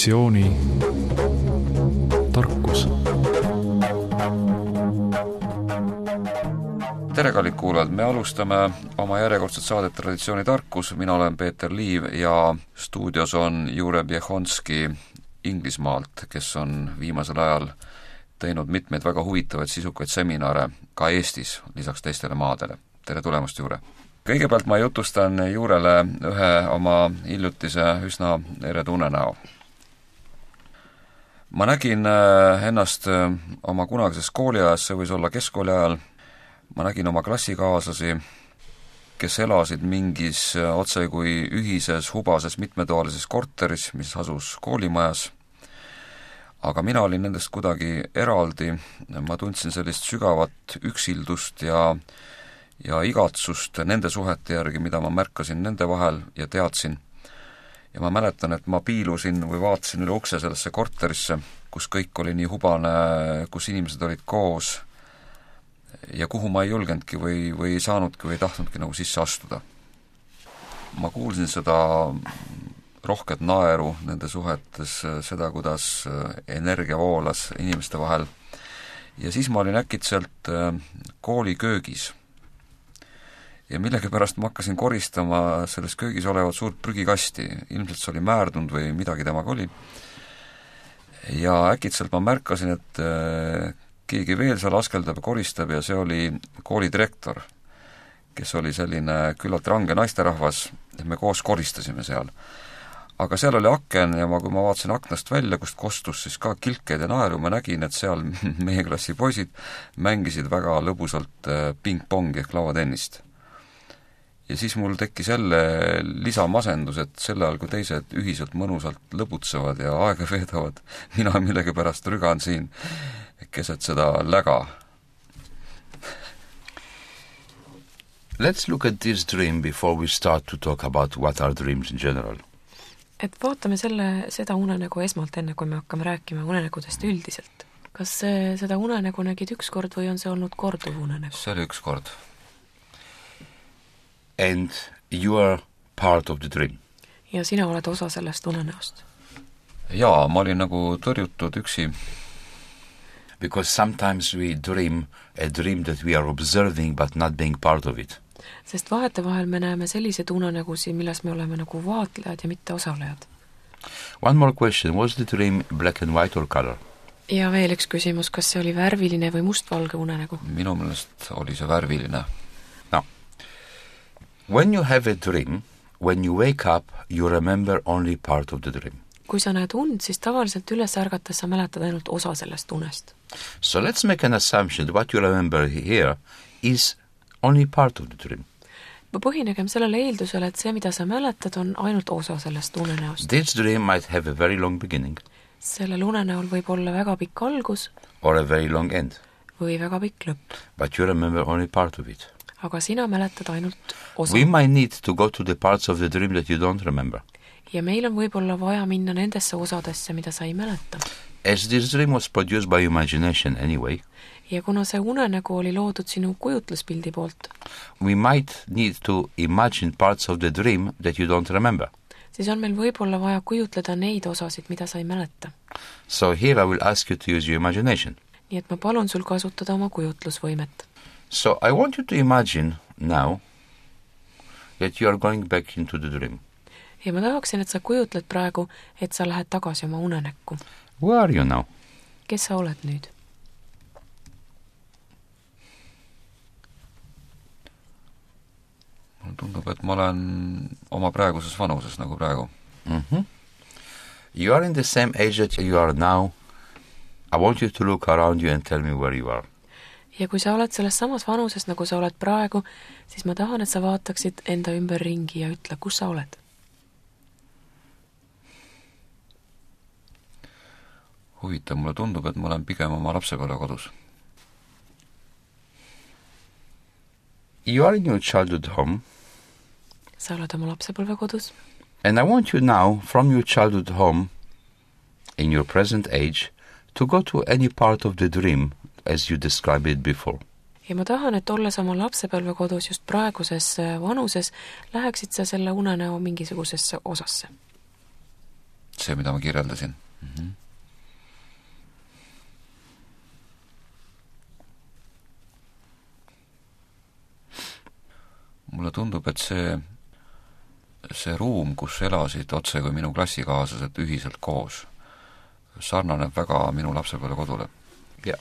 traditsiooni tarkus. Tere, kallid kuulajad! Me alustame oma järjekordset saadet Traditsiooni tarkus. Mina olen Peeter Liiv ja stuudios on Jure Bjehonski Inglismaalt, kes on viimasel ajal teinud mitmeid väga huvitavaid sisukaid seminare ka Eestis, lisaks teistele maadele. Tere tulemast, Jure! Kõigepealt ma jutustan Jurele ühe oma hiljutise üsna eredu unenäo. Ma nägin ennast oma kunagises kooliajas, see võis olla keskkooli ajal. Ma nägin oma klassikaaslasi, kes elasid mingis otse kui ühises hubases mitmetoalises korteris, mis asus koolimajas. Aga mina olin nendest kuidagi eraldi. Ma tundsin sellist sügavat üksildust ja igatsust nende suhete järgi, mida ma märkasin nende vahel ja teadsin. Ja ma mäletan, et ma piilusin või vaatasin üle ukse sellesse korterisse, kus kõik oli nii hubane, kus inimesed olid koos ja kuhu ma ei julgenudki või ei saanudki või ei tahtnudki nagu sisse astuda. Ma kuulsin seda rohket naeru nende suhetes, seda, kuidas energia voolas inimeste vahel. Ja siis ma olin äkitselt kooli köögis. Ja millegipärast ma hakkasin koristama selles köögis olevat suurt prügikasti. Ilmselt see oli määrdunud või midagi temaga oli. Ja äkitselt ma märkasin, et keegi veel seal askeldab ja koristab ja see oli koolidirektor, kes oli selline küllalt range naisterahvas, et me koos koristasime seal. Aga seal oli aken ja kui ma vaatasin aknast välja, kust kostus siis ka kilkeid ja naeru, ma nägin, et seal meie klassi poisid mängisid väga lõbusalt ping-pongi ehk lauatennist. Ja siis mul tekkis jälle lisamasendus, et selle ajal, kui teised ühiselt mõnusalt lõbutsevad ja aega veedavad, mina millegipärast rügan siin keset seda läga. Let's look at this dream before we start to talk about what are dreams in general. Et vaatame seda unenägu esmalt enne, kui me hakkame rääkima unenägudest üldiselt. Kas seda unenägu nägid üks kord või on see olnud korduv unenägu? See oli üks kord. And you are part of the dream. Ja sina oled osa sellest unenäost. Jaa, ma olin nagu tõrjutud üksi. Because sometimes we dream a dream that we are observing but not being part of it. Sest vahetevahel me näeme sellised unenägusid, milles me oleme nagu vaatlejad ja mitte osalejad. One more question. Was the dream black and white or color? Ja veel üks küsimus, kas see oli värviline või mustvalge unenägu? Minu meelest oli see värviline. No. When you have a dream, when you wake up, you remember only part of the dream. Kui sa näed und, siis tavaliselt üles ärgates sa mäletad ainult osa sellest unest. So let's make an assumption that what you remember here is only part of the dream. Põhinegem sellele eeldusele, et see, mida sa mäletad, on ainult osa sellest unenäost. This dream might have a very long beginning. Sellel unenäol võib olla väga pikk algus. Or a very long end. Või väga pikk lõpp. But you remember only part of it. Aga sina mäletad ainult osa. We might need to go to the parts of the dream that you don't remember. Ja meil on võib-olla vaja minna nendesse osadesse, mida sa ei mäleta. As this dream was produced by imagination anyway, ja kuna see unenägu oli loodud sinu kujutluspildi poolt, we might need to imagine parts of the dream that you don't remember. Siis on meil võib-olla vaja kujutleda neid osasid, mida sa ei mäleta. So here I will ask you to use your imagination. Nii et ma palun sul kasutada oma kujutlusvõimet. So I want you to imagine now that you are going back into the dream. Ja ma tahaksin, et sa kujutled praegu, et sa lähed tagasi oma unenäkku. Where are you now? Kes sa oled nüüd? Mulle tundub, et ma olen oma praeguses vanuses nagu praegu. You are in the same age that you are now. I want you to look around you and tell me where you are. Ja kui sa oled selles samas vanuses, nagu sa oled praegu, siis ma tahan, et sa vaataksid enda ümber ringi ja ütle, kus sa oled. Huvitav, mulle tundub, et ma olen pigem oma lapsepõlve kodus. You are in your childhood home. Sa oled oma lapsepõlve kodus. And I want you now, from your childhood home, in your present age, to go to any part of the dream as you described it before. Ja ma tahan, et olles oma lapsepõlve kodus just praeguses vanuses, läheksid sa selle unenäo mingisugusesse osasse. see, mida ma kirjeldasin. Mulle tundub, et see ruum, kus elasid otse kui minu klassikaaslased ühiselt koos, sarnaneb väga minu lapsepõlvekodule. Yeah.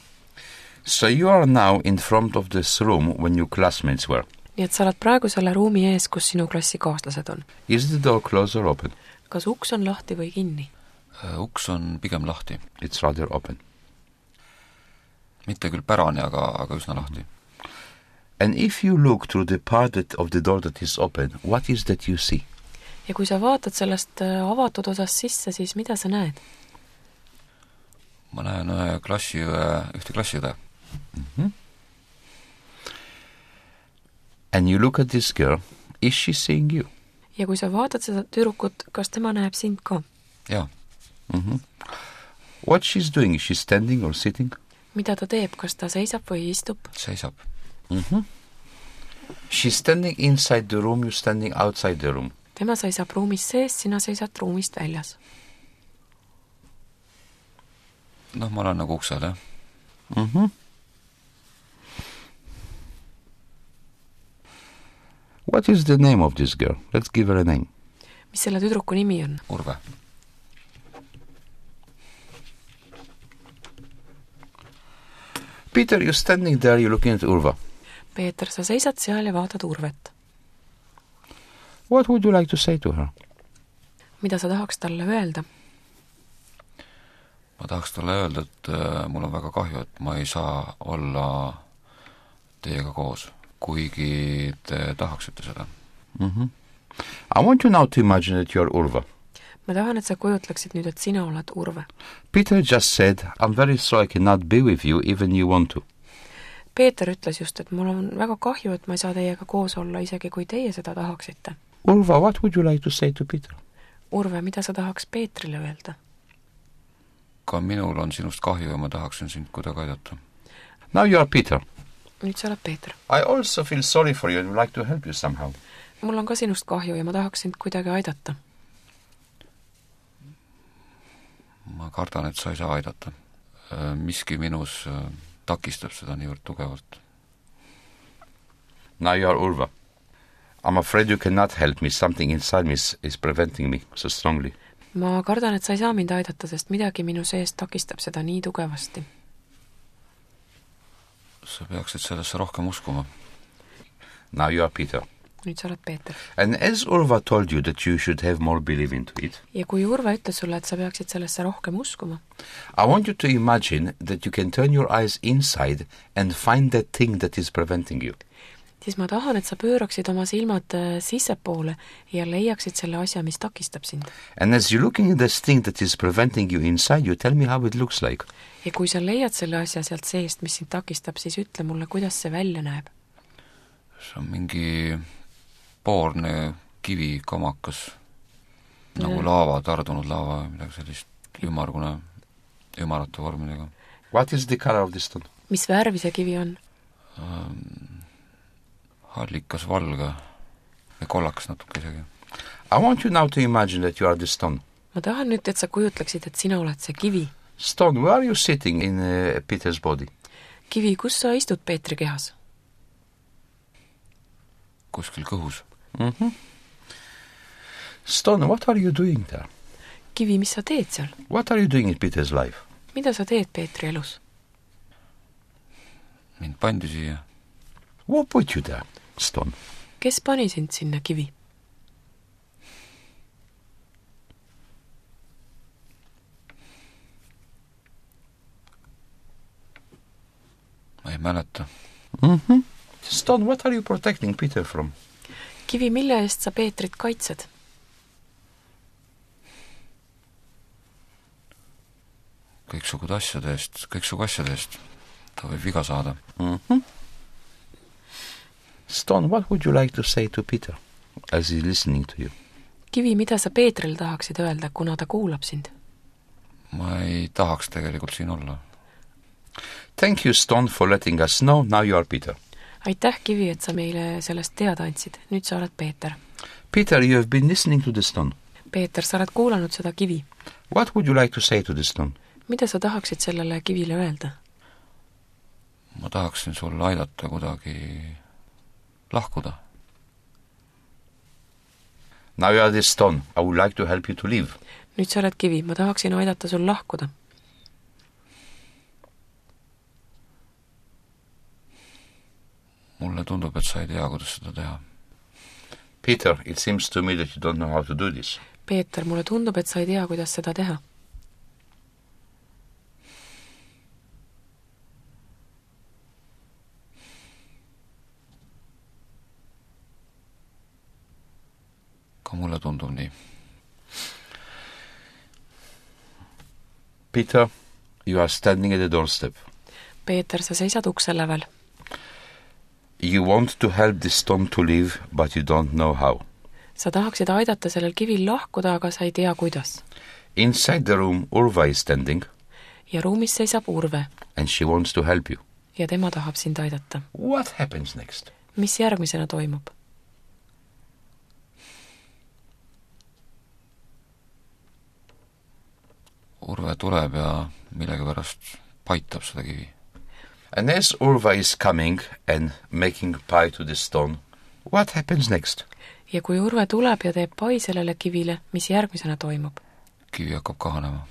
So you are now in front of this room when your classmates were. Nii et sa oled praegu selle ruumi ees, kus sinu klassikaaslased on. Is the door closed or open? Kas uks on lahti või kinni? Uks on pigem lahti. It's rather open. Mitte küll pärani, aga üsna lahti. And if you look through the part of the door that is open, what is that you see? Ja kui sa vaatad sellest avatud osast sisse, siis mida sa näed? Ma näen ühte klassiõde. And you look at this girl, is she seeing you? Ja kui sa vaatad seda tüdrukut, kas tema näeb sind ka? Jaa. What she's doing, is she standing or sitting? Mida ta teeb, kas ta seisab või istub? Seisab. She's standing inside the room, you're standing outside the room. Tema seisab ruumis sees, sina seisad ruumist väljas. Ma olen nagu uksel, jah. What is the name of this girl? Let's give her a name. Mis selle tüdruku nimi on? Urve. Peter, you're standing there, you're looking at Urva. Peeter, sa seisad seal ja vaatad Urvet. What would you like to say to her? Mida sa tahaks talle öelda? Ma tahaks talle öelda, et mul on väga kahju, et ma ei saa olla teiega koos, kuigi te tahaksite seda. I want you now to imagine that you are Urva. Ma tahan, et sa kujutleksid nüüd, et sina oled Urve. Peter just said, I'm very sorry I cannot be with you even you want to. Peeter ütles just, et mul on väga kahju, et ma ei saa teiega koos olla, isegi kui teie seda tahaksite. Urva, what would you like to say to Peter? Urve, mida sa tahaks Peetrile öelda? Ka minul on sinust kahju ja ma tahaksin sind kuidagi aidata. Now you are Peter. Nüüd sa oled Peeter. I also feel sorry for you and would like to help you somehow. Mul on ka sinust kahju ja ma tahaks sind kuidagi aidata. Ma kardan, et sa ei saa aidata. Miski minus takistab seda niivõrd tugevalt. Now you are Urva. I'm afraid you cannot help me. Something inside me is preventing me so strongly. Ma kardan, et sa ei saa mind aidata, sest midagi minu sees takistab seda nii tugevasti. Sa peaksid sellesse rohkem uskuma. Now you are Peter. Nüüd sa oled Peeter. And as Urva told you that you should have more belief into it, ja kui Urve ütles sulle, et sa peaksid sellesse rohkem uskuma, I want you to imagine that you can turn your eyes inside and find that thing that is preventing you. siis ma tahan, et sa pööraksid oma silmad sissepoole ja leiaksid selle asja, mis takistab sind. And as you're looking at this thing that is preventing you inside, you tell me how it looks like. Ja kui sa leiad selle asja sealt seest, mis sind takistab, siis ütle mulle, kuidas see välja näeb. See on mingi poorne kivi kamakas, nagu laava, tardunud laava, midagi sellist ümarate vormidega. What is the color of this stone? Mis värvi see kivi on? Hallikas valge ja kollakas natuke isegi. I want you now to imagine that you are the stone. Ma tahan nüüd, et sa kujutleksid, et sina oled see kivi. Stone, where are you sitting in Peter's body? Kivi, kus sa istud Peetri kehas? Kuskil kõhus. Stone, what are you doing there? Kivi, mis sa teed seal? What are you doing in Peter's life? Mida sa teed Peetri elus? Mind pandi siia. Who put you there, Stone? Kes pani sind sinna, Kivi? Ma ei mäleta. Stone, what are you protecting Peter from? Kivi, mille eest sa Peetrit kaitsed? Kõiksugu asjade eest. Ta võib viga saada. Stone, what would you like to say to Peter as he's listening to you? Kivi, mida sa Peetril tahaksid öelda, kuna ta kuulab sind? Ma ei tahaks tegelikult siin olla. Thank you, Stone, for letting us know. Now you are Peter. Aitäh, Kivi, et sa meile sellest teada andsid. Nüüd sa oled Peeter. Peter, you have been listening to the stone. Peeter, sa oled kuulanud seda kivi. What would you like to say to the stone? Mida sa tahaksid sellele kivile öelda? ma tahaksin sul aidata kuidagi lahkuda. Now you are the stone. I would like to help you to leave. Nüüd sa oled kivi, ma tahaksin aidata sul lahkuda. mulle tundub, et sa ei tea, kuidas seda teha. Peter, it seems to me that you don't know how to do this. Peeter, mulle tundub, et sa ei tea, kuidas seda teha. ka mulle tundub nii. Peter, you are standing at the doorstep. Peeter, sa seisad ukse lävel. You want to help the stone to leave, but you don't know how. Sa tahaksid aidata sellel kivil lahkuda, aga sa ei tea, kuidas. Inside the room, Urva is standing. Ja ruumis seisab Urve. And she wants to help you. Ja tema tahab sind aidata. What happens next? Mis järgmisena toimub? Urve tuleb ja millegipärast paitab seda kivi. And as Urva is coming and making pie to the stone, what happens next? Ja kui Urve tuleb ja teeb pai sellele kivile, mis järgmisena toimub? Kivi hakkab kahanema.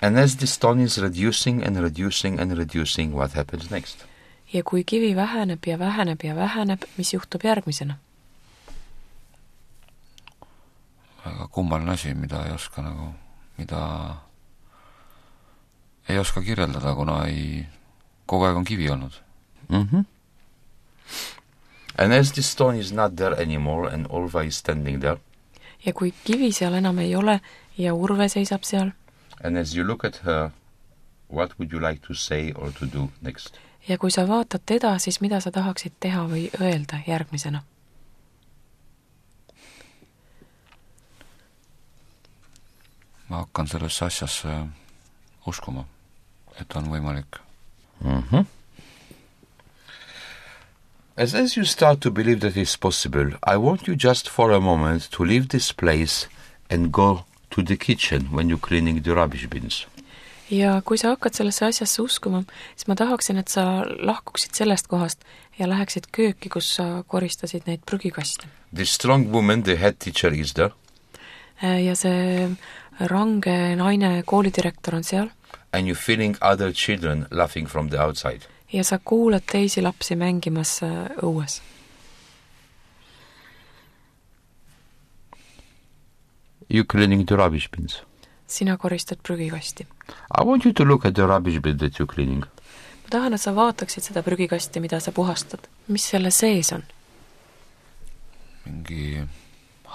And as the stone is reducing and reducing and reducing, what happens next? Ja kui kivi väheneb ja väheneb ja väheneb, mis juhtub järgmisena? Väga kummaline asi, mida ei oska kirjeldada, kuna kogu aeg on kivi olnud. And as the stone is not there anymore and Urva is standing there, ja kui kivi seal enam ei ole ja Urve seisab seal, and as you look at her, what would you like to say or to do next? ja kui sa vaatad teda, siis mida sa tahaksid teha või öelda järgmisena? Ma hakkan sellesse asjasse uskuma, et on võimalik. As you start to believe that it's possible, I want you just for a moment to leave this place and go to the kitchen when you're cleaning the rubbish bins. Ja kui sa hakkad sellesse asjasse uskuma, siis ma tahaksin, et sa lahkuksid sellest kohast ja läheksid kööki, kus sa koristasid neid prügikaste. The strong woman, the head teacher, is there. Ja see range naine koolidirektor on seal. And you're feeling other children laughing from the outside. Ja sa kuulad teisi lapsi mängimas õues. You're cleaning the rubbish bins. Sina koristad prügikasti. I want you to look at the rubbish bin that you're cleaning. Ma tahan, et sa vaataksid seda prügikasti, mida sa puhastad. Mis selle sees on? Mingi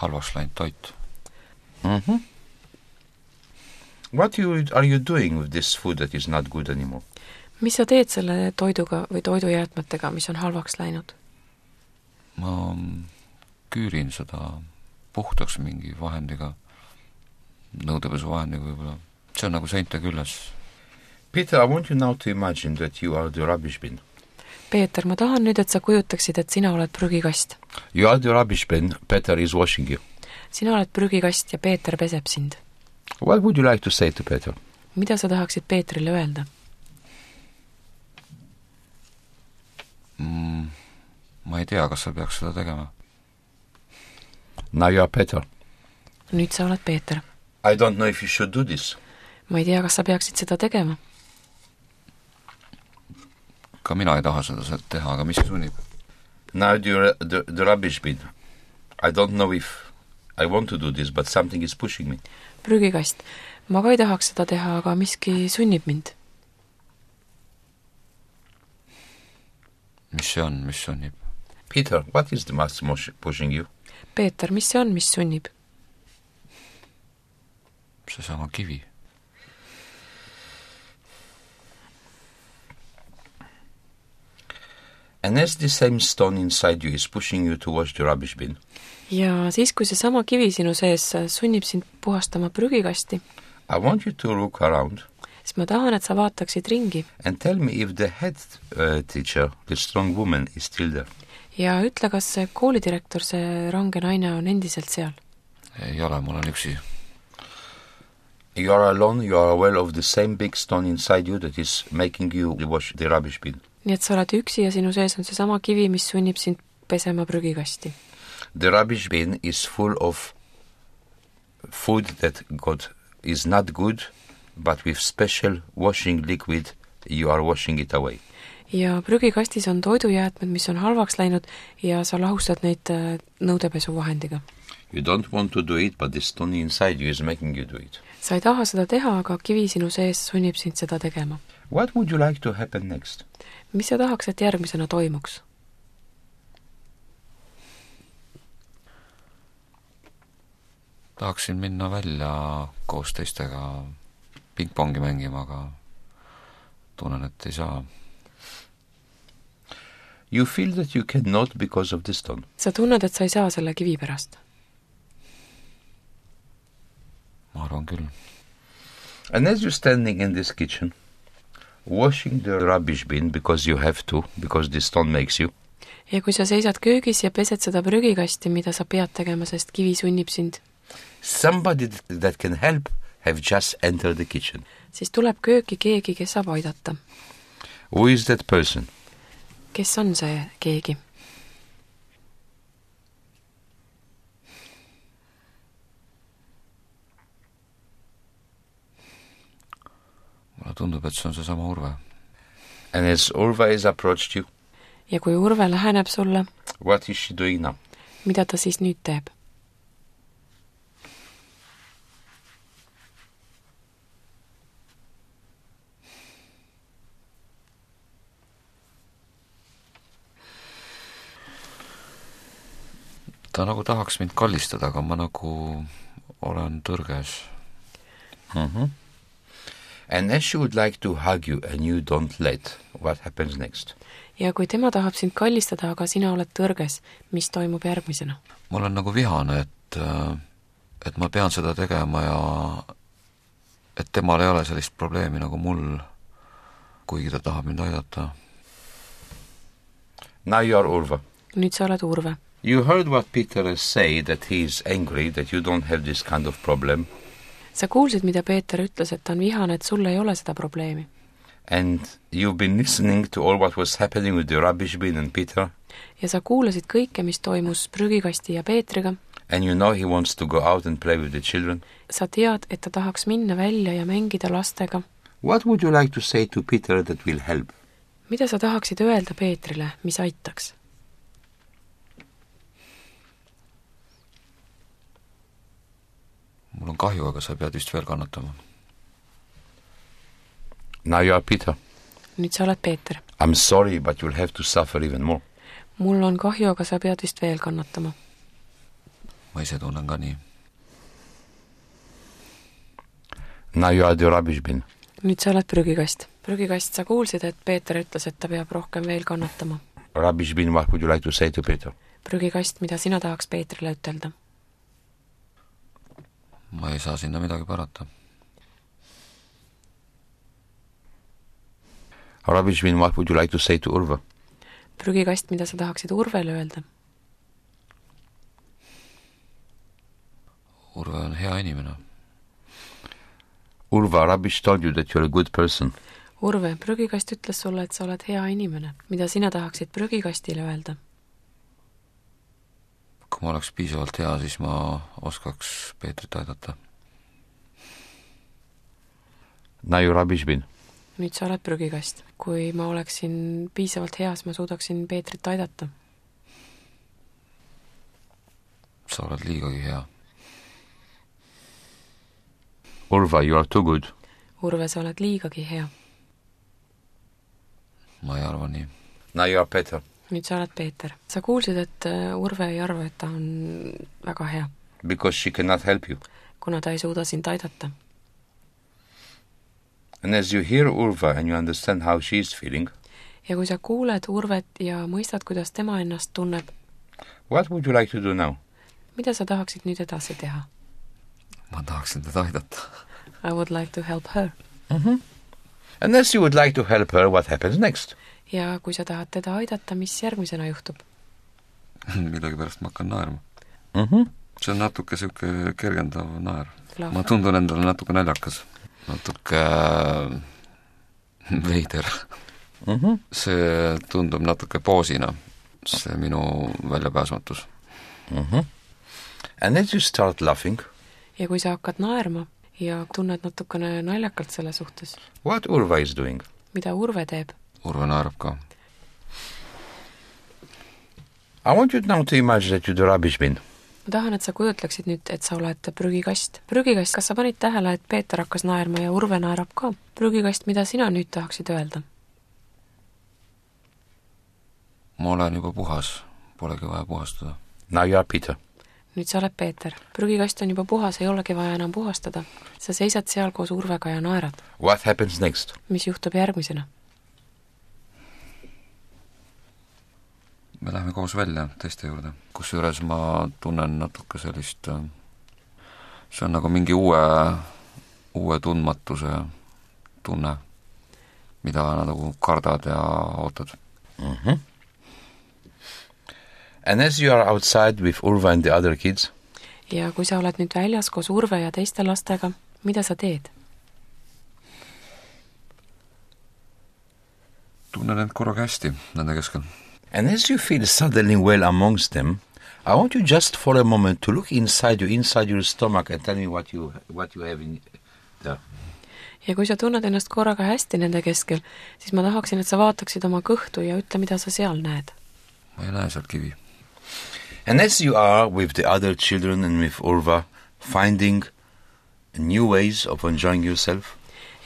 halvaks läinud toit. What are you doing with this food that is not good anymore? Mis sa teed selle toiduga või toidujäätmetega, mis on halvaks läinud? Ma küürin seda puhtaks mingi vahendiga, nõudepesuvahendiga võib-olla. See on nagu seinte külles. Peter, I want you now to imagine that you are the rubbish bin. Peeter, ma tahan nüüd, et sa kujutaksid, et sina oled prügikast. You are the rubbish bin, Peter is washing you. Sina oled prügikast ja Peeter peseb sind. What would you like to say to Peter? Mida sa tahaksid Peetrile öelda? Ma ei tea, kas sa peaks seda tegema. Now you are Peter. Nüüd sa oled Peeter. I don't know if you should do this. Ma ei tea, kas sa peaksid seda tegema. Ka mina ei taha seda teha, aga mis sunnib? Now the rubbish bin. I don't know if I want to do this, but something is pushing me. Prügikast. Ma ka ei tahaks seda teha, aga miski sunnib mind. Mis see on, mis sunnib? Peter, what is the mass pushing you? Peeter, mis see on, mis sunnib? See sama kivi. And as the same stone inside you is pushing you to wash the rubbish bin. Ja siis, kui see sama kivi sinu sees sunnib sind puhastama prügikasti, I want you to look around. Siis ma tahan, et sa vaataksid ringi. And tell me if the head teacher, the strong woman, is still there. Ja ütle, kas see koolidirektor, see range naine on endiselt seal? ei ole, ma olen üksi. You are alone, you are aware of the same big stone inside you that is making you wash the rubbish bin. nii et sa oled üksi ja sinu sees on seesama kivi, mis sunnib sind pesema prügikasti. The rubbish bin is full of food that God is not good, but with special washing liquid you are washing it away. ja prügikastis on toidujäätmed, mis on halvaks läinud ja sa lahustad neid nõudepesuvahendiga. You don't want to do it, but the stone inside you is making you do it. sa ei taha seda teha, aga kivi sinu sees sunnib sind seda tegema. What would you like to happen next? mis sa tahaks, et järgmisena toimuks? Tahaksin minna välja koos teistega pingpongi mängima, aga tunnen, et ei saa. You feel that you cannot because of the stone. sa tunned, et sa ei saa selle kivi pärast? Ma arvan küll. And as you're standing in this kitchen, washing the rubbish bin because you have to, because the stone makes you, ja kui sa seisad köögis ja pesed seda prügikasti, mida sa pead tegema, sest kivi sunnib sind, somebody that can help have just entered the kitchen. siis tuleb kööki keegi, kes saab aidata. Who is that person? kes on see keegi? Mulle tundub, et see on seesama Urve. And as Urva has approached you, ja kui Urve läheneb sulle, what is she doing now? mida ta siis nüüd teeb? Ta nagu tahaks mind kallistada, aga ma nagu olen tõrges. And as she would like to hug you and you don't let, what happens next? ja kui tema tahab sind kallistada, aga sina oled tõrges, mis toimub järgmisena? Ma olen nagu vihane, et ma pean seda tegema ja et temal ei ole sellist probleemi nagu mul, kuigi ta tahab mind aidata. Now you are Urva. nüüd sa oled Urve. You heard what Peter has said, that he is angry, that you don't have this kind of problem. sa kuulsid, mida Peeter ütles, et ta on vihane, et sul ei ole seda probleemi. And you've been listening to all what was happening with the rubbish bin and Peter. ja sa kuulasid kõike, mis toimus prügikasti ja Peetriga. And you know he wants to go out and play with the children. sa tead, et ta tahaks minna välja ja mängida lastega. What would you like to say to Peter that will help? mida sa tahaksid öelda Peetrile, mis aitaks? Mul on kahju, aga sa pead vist veel kannatama. Now you are Peter. nüüd sa oled Peeter. I'm sorry, but you'll have to suffer even more. mul on kahju, aga sa pead vist veel kannatama. Ma ise tunnen ka nii. Now you are the rubbish bin. nüüd sa oled prügikast. prügikast, sa kuulsid, et Peeter ütles, et ta peab rohkem veel kannatama. Rubbish bin, what would you like to say to Peter? prügikast, mida sina tahaks Peetrile ütelda? Ma ei saa sinna midagi parata. Rubbish bin, what would you like to say to Urva? prügikast, mida sa tahaksid Urvele öelda? Urve on hea inimene. Urva, rubbish told you that you're a good person. Urve, prügikast ütles sulle, et sa oled hea inimene. mida sina tahaksid prügikastile öelda? Kui ma oleks piisavalt hea, siis ma oskaks Peetrit aidata. Now you rubbish bin. nüüd sa oled prügikast. kui ma oleksin piisavalt hea, siis ma suudaksin Peetrit aidata. Sa oled liigagi hea. Urva, you are too good. Urve, sa oled liigagi hea. Ma ei arva nii. Now you are Peter. nüüd sa oled Peeter. sa kuulsid, et Urve ei arva, et ta on väga hea. Because she cannot help you. kuna ta ei suuda sind aidata. And as you hear Urva and you understand how she is feeling, ja kui sa kuuled Urvet ja mõistad, kuidas tema ennast tunneb, what would you like to do now? mida sa tahaksid nüüd edasi teha? Ma tahaksin teda aidata. I would like to help her. And as you would like to help her, what happens next? ja kui sa tahad teda aidata, mis järgmisena juhtub? Midagi pärast ma hakkan naerma. see on natuke niisugune kergendav naer. Lav. Ma tundun endale natuke naljakas, natuke veider. See tundub natuke poosina, see minu väljapääsmatus. And as you start laughing, ja kui sa hakkad naerma ja tunned natukene naljakalt selle suhtes, what Urva is doing? mida Urve teeb? Urve naerab ka. I want you now to imagine that you're the rubbish bin. Ma tahan, et sa kujutleksid nüüd, et sa oled prügikast. Prügikast, kas sa panid tähele, et Peeter hakkas naerma ja Urve naerab ka? Prügikast, mida sina nüüd tahaksid öelda? Ma olen juba puhas, polegi vaja puhastada. Now you are Peter. Nüüd sa oled Peeter. Prügikast on juba puhas, ei olegi vaja enam puhastada. Sa seisad seal koos Urvega ja naerad. What happens next? Mis juhtub järgmisena? Me lähme koos välja teiste juurde, kusjuures ma tunnen natuke sellist, see on nagu mingi uue tundmatuse tunne, mida nagu kardad ja ootad. And as you are outside with Urva and the other kids, ja kui sa oled nüüd väljas koos Urve ja teiste lastega, mida sa teed? Tunnen end korraga hästi nende keskel. and as you feel suddenly well amongst them, I want you just for a moment to look inside your stomach and tell me what you have in there. Ja kui sa tunned ennast korraga hästi nende keskel, siis ma tahaksin, et sa vaataksid oma kõhtu ja ütle, mida sa seal näed. Ma ei näe sealt kivi. And as you are with the other children and with Urva, finding new ways of enjoying yourself,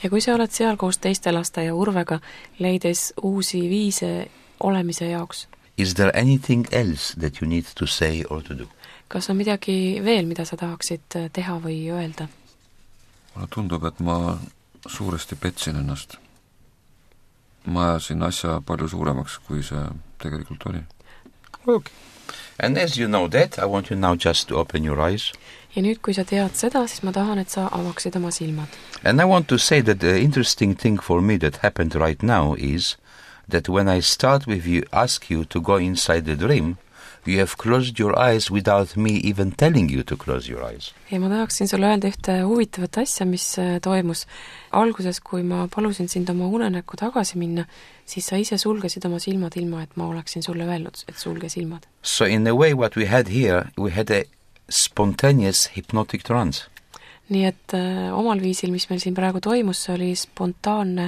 ja kui sa oled seal koos teiste laste ja Urvega, leides uusi viise olemise jaoks, is there anything else that you need to say or to do? kas on midagi veel, mida sa tahaksid teha või öelda? Mulle tundub, et ma suuresti petsin ennast. Ma ajasin asja palju suuremaks, kui see tegelikult oli. Okay. And as you know that, I want you now just to open your eyes. Ja nüüd, kui sa tead seda, siis ma tahan, et sa avaksid oma silmad. And I want to say that the interesting thing for me that happened right now is that when I start with you, ask you to go inside the dream, you have closed your eyes without me even telling you to close your eyes. Ja ma tahaksin sulle öelda ühte huvitavat asja, mis toimus. Alguses, kui ma palusin sind oma unenäkku tagasi minna, siis sa ise sulgesid oma silmad ilma, et ma oleksin sulle öelnud, et sulge silmad. So in a way what we had here, we had a spontaneous hypnotic trance. Nii et omal viisil, mis meil siin praegu toimus, see oli spontaanne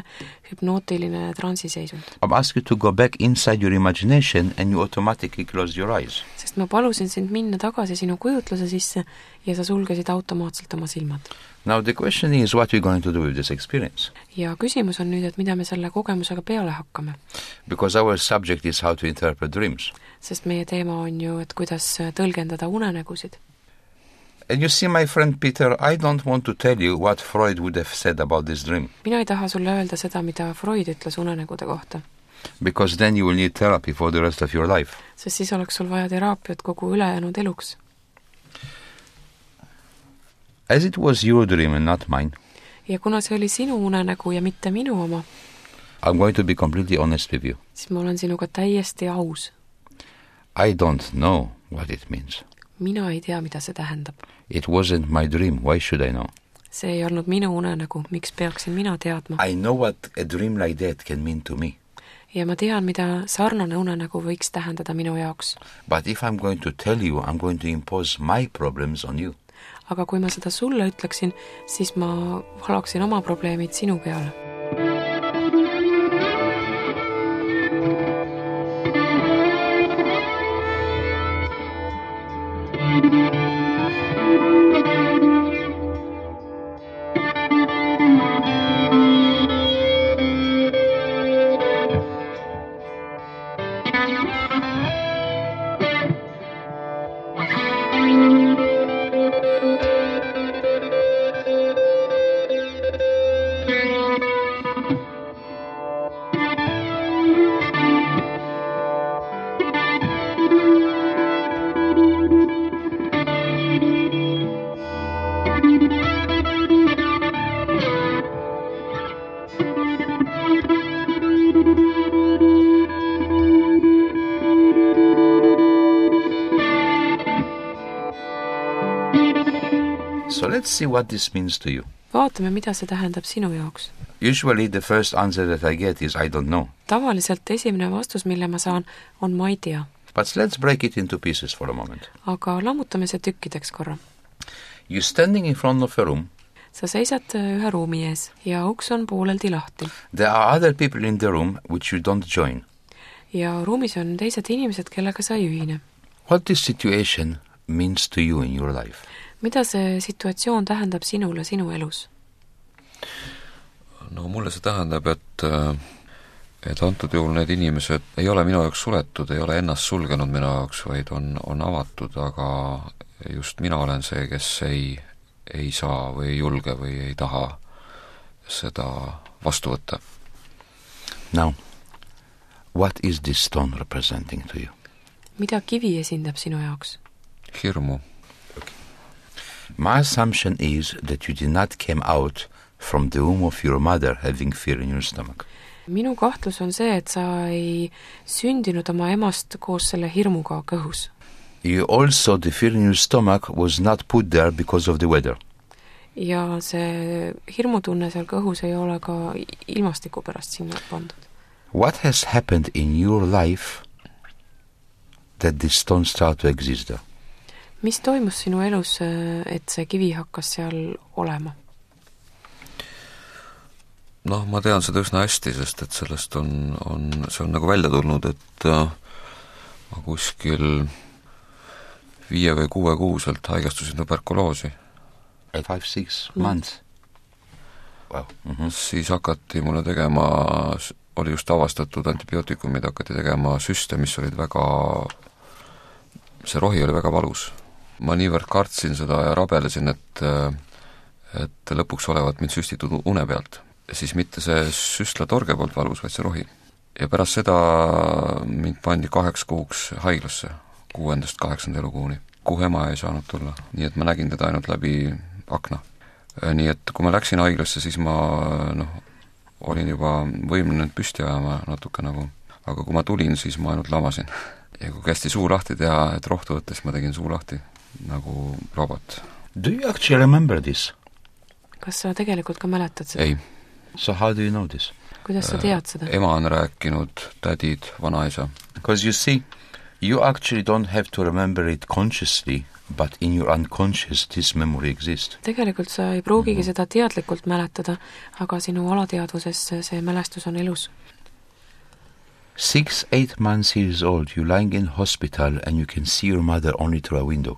hüpnootiline transiseisund. I ask you to go back inside your imagination and you automatically close your eyes. Sest ma palusin sind minna tagasi sinu kujutluse sisse ja sa sulgesid automaatselt oma silmad. Now the question is what we're going to do with this experience. Ja küsimus on nüüd, et mida me selle kogemusega peale hakkame. Because our subject is how to interpret dreams. Sest meie teema on ju, et kuidas tõlgendada unenägusid. And you see, my friend Peter, I don't want to tell you what Freud would have said about this dream. Mina ei taha sulle öelda seda, mida Freud ütles unenägude kohta. Because then you will need therapy for the rest of your life. Sest siis oleks sul vaja teraapiat kogu ülejäänud eluks. As it was your dream and not mine, ja kuna see oli sinu unenägu ja mitte minu oma, I'm going to be completely honest with you. siis ma olen sinuga täiesti aus. I don't know what it means. Mina ei tea, mida see tähendab. It wasn't my dream. Why should I know? See ei olnud minu unenägu. Miks peaksin mina teadma? I know what a dream like that can mean to me. Ja ma tean, mida sarnane unenägu võiks tähendada minu jaoks. But if I'm going to tell you, I'm going to impose my problems on you. Aga kui ma seda sulle ütleksin, siis ma valaksin oma probleemid sinu peale. let's see what this means to you. vaatame, mida see tähendab sinu jaoks. Usually the first answer that I get is I don't know. Tavaliselt esimene vastus, mille ma saan, on ma ei tea. But let's break it into pieces for a moment. Aga lammutame see tükkideks korra. You're standing in front of a room. Sa seisad ühe ruumi ees ja uks on pooleldi lahti. There are other people in the room which you don't join. Ja ruumis on teised inimesed, kellega sa ei ühine. What this situation means to you in your life? Mida see situatsioon tähendab sinule sinu elus? No mulle see tähendab, et antud juhul need inimesed ei ole minu jaoks suletud, ei ole ennast sulgenud minu jaoks, vaid on avatud, aga just mina olen see, kes ei saa või ei julge või ei taha seda vastu võtta. Now, what is this stone representing to you? Mida kivi esindab sinu jaoks? Hirmu. My assumption is that you did not come out from the womb of your mother having fear in your stomach. Minu kahtlus on see, et sa ei sündinud oma emast koos selle hirmuga kõhus. You also, the fear in your stomach was not put there because of the weather. Ja see hirmutunne seal kõhus ei ole ka ilmastiku pärast sinna pandud. What has happened in your life that this stone start to exist there? Mis toimus sinu elus, et see kivi hakkas seal olema? Noh, ma tean seda üsna hästi, sest et sellest see on nagu välja tulnud, et ma kuskil 5 või 6 kuuselt haigestusin tuberkuloosi. 5-6 months. Wow. Siis hakati mulle tegema, oli just avastatud antibiootikumid, hakati tegema süste, mis olid see rohi oli väga valus. Ma niivõrd kartsin seda ja rabelesin, et lõpuks olevat mind süstitud une pealt. Siis mitte see süstlatorge poolt valus, vaid see rohi. Ja pärast seda mind pandi 8 kuuks haiglasse, 6.–8. elukuuni, kuhu ema ei saanud tulla. Nii et ma nägin teda ainult läbi akna. Nii et kui ma läksin haiglasse, siis ma olin juba võimeline püsti ajama natuke nagu, aga kui ma tulin, siis ma ainult lamasin. Ja kui kästi suu lahti teha, et rohtu võttes, ma tegin suu lahti nagu robot. Do you actually remember this? Kas sa tegelikult ka mäletad seda? Ei. So how do you know this? Kuidas sa tead seda? Ema on rääkinud, tädid, vanaisa. Because you see, you actually don't have to remember it consciously, but in your unconscious this memory exists. Tegelikult sa ei pruugigi seda teadlikult mäletada, aga sinu alateadvuses see mälestus on elus. 6-8 months years old, you lying in hospital and you can see your mother only through a window.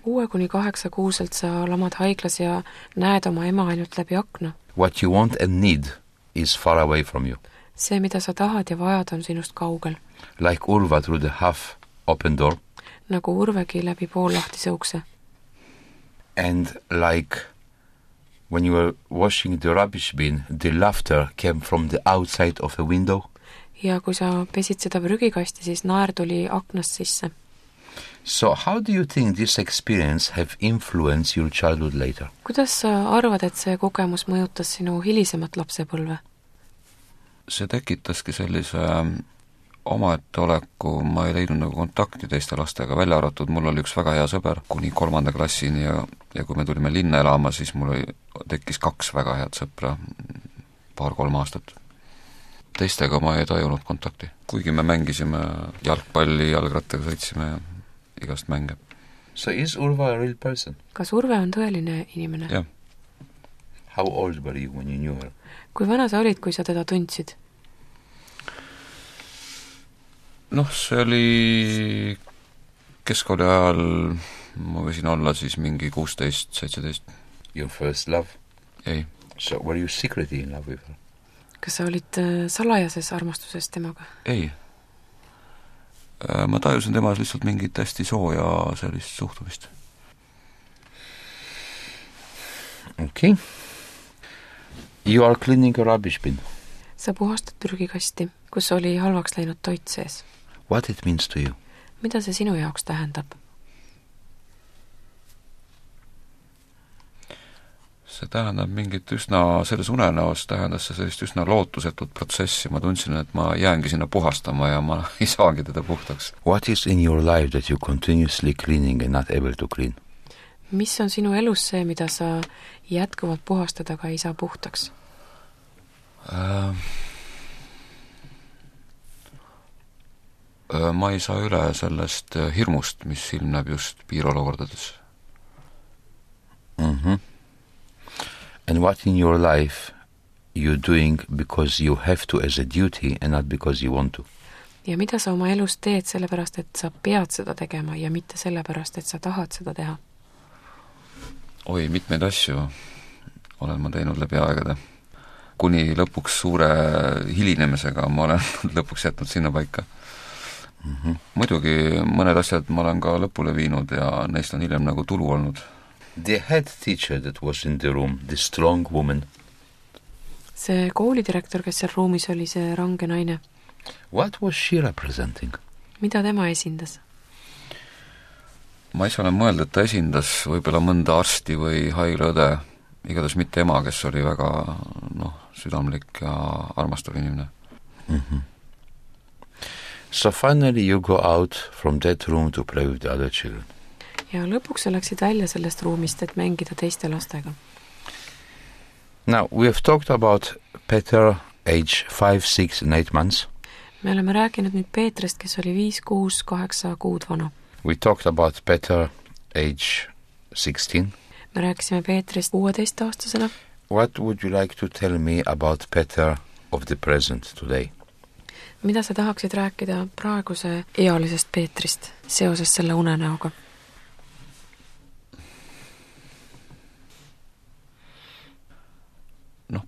6-8 kuuselt sa lamad haiglas ja näed oma ema ainult läbi akna. What you want and need is far away from you. See, mida sa tahad ja vajad, on sinust kaugel. Like Urva through the half open door. Nagu Urvegi läbi poollahtise ukse. And like when you were washing the rubbish bin, the laughter came from the outside of a window. Ja kui sa pesid seda prügikasti, siis naer tuli aknast sisse. So how do you think this experience have influenced your childhood later? Kuidas sa arvad, et see kogemus mõjutas sinu hilisemat lapsepõlve? See tekitaski sellise omaette oleku, ma ei leidnud nagu kontakti teiste lastega, välja arvatud, mul oli üks väga hea sõber kuni 3. klassini ja kui me tulime linna elama, siis mul tekkis 2 väga head sõpra 2-3 aastat. Teistega ma ei tajunud kontakti, kuigi me mängisime jalgpalli, jalgrattaga sõitsime ja igast mänge. So is Urva a real person? Kas Urve on tõeline inimene? Jah. How old were you when you knew her? Kui vana sa olid, kui sa teda tundsid? See oli keskkooli ajal, ma võisin olla siis mingi 16-17. Your first love? Ei. So were you secretly in love with her? Kas sa olid salajases armastuses temaga? Ei. Ma tajusin temas lihtsalt mingit hästi sooja sellist suhtumist. Okay. You are cleaning a rubbish bin. Sa puhastad prügikasti, kus oli halvaks läinud toit sees. What it means to you? Mida see sinu jaoks tähendab? See tähendab mingit selles unenäos tähendas see sellist üsna lootusetut protsessi. Ma tundsin, et ma jäängi sinna puhastama ja ma ei saagi teda puhtaks. What is in your life that you continuously cleaning and not able to clean? mis on sinu elus see, mida sa jätkuvalt puhastada ka ei saa puhtaks? Ma ei saa üle sellest hirmust, mis ilmneb just piirolukordades. And what in your life you're doing because you have to as a duty and not because you want to? Ja mida sa oma elus teed sellepärast, et sa pead seda tegema ja mitte sellepärast, et sa tahad seda teha? Oi, mitmeid asju olen ma teinud läbi aegade. Kuni lõpuks suure hilinemisega ma olen lõpuks jätnud sinna paika. Muidugi mõned asjad ma olen ka lõpule viinud ja neist on hiljem nagu tulu olnud. The head teacher that was in the room, the strong woman. See koolidirektor, kes seal ruumis oli, see range naine. What was she representing? Mida tema esindas? Ma ise olen mõelnud, et ta esindas võib-olla mõnda arsti või haiglaõde, igatahes mitte ema, kes oli väga südamlik ja armastav inimene. So finally you go out from that room to play with the other children. Ja lõpuks sa läksid välja sellest ruumist, et mängida teiste lastega. Now, we have talked about Peter, age 5, 6 and 8 months. Me oleme rääkinud nüüd Peetrist, kes oli 5, 6, 8 kuud vana. We talked about Peter, age 16. Me rääkisime Peetrist 16-aastasena. What would you like to tell me about Peter of the present today? Mida sa tahaksid rääkida praeguse ealisest Peetrist seoses selle unenäoga?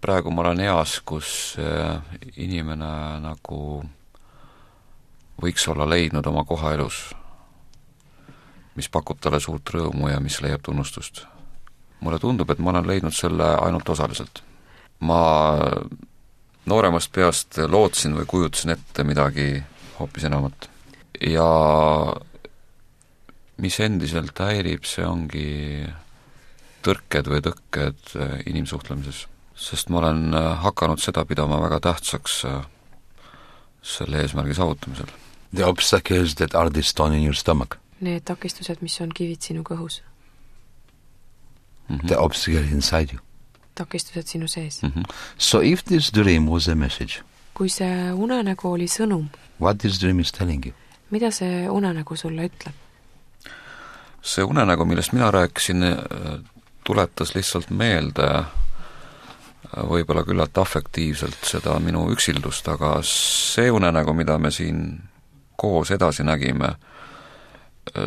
Praegu ma olen eas, kus inimene nagu võiks olla leidnud oma koha elus, mis pakub talle suurt rõõmu ja mis leiab tunnustust. Mulle tundub, et ma olen leidnud selle ainult osaliselt. Ma nooremast peast lootsin või kujutasin ette midagi hoopis enamat. Ja mis endiselt häirib, see ongi tõrked või tõkked inimsuhtlemises. Sest ma olen hakanud seda pidama väga tähtsaks selle eesmärgi saavutamisel. The obstacles that are the stone in your stomach. Need takistused, mis on kivid sinu kõhus. The obstacle inside you. Takistused sinu sees. So if this dream was a message, kui see unenägu oli sõnum, what this dream is telling you? Mida see unenägu sulle ütleb? See unenägu, millest mina rääkisin, tuletas lihtsalt meelde võib-olla küllalt afektiivselt seda minu üksildust, aga see unenägu, mida me siin koos edasi nägime,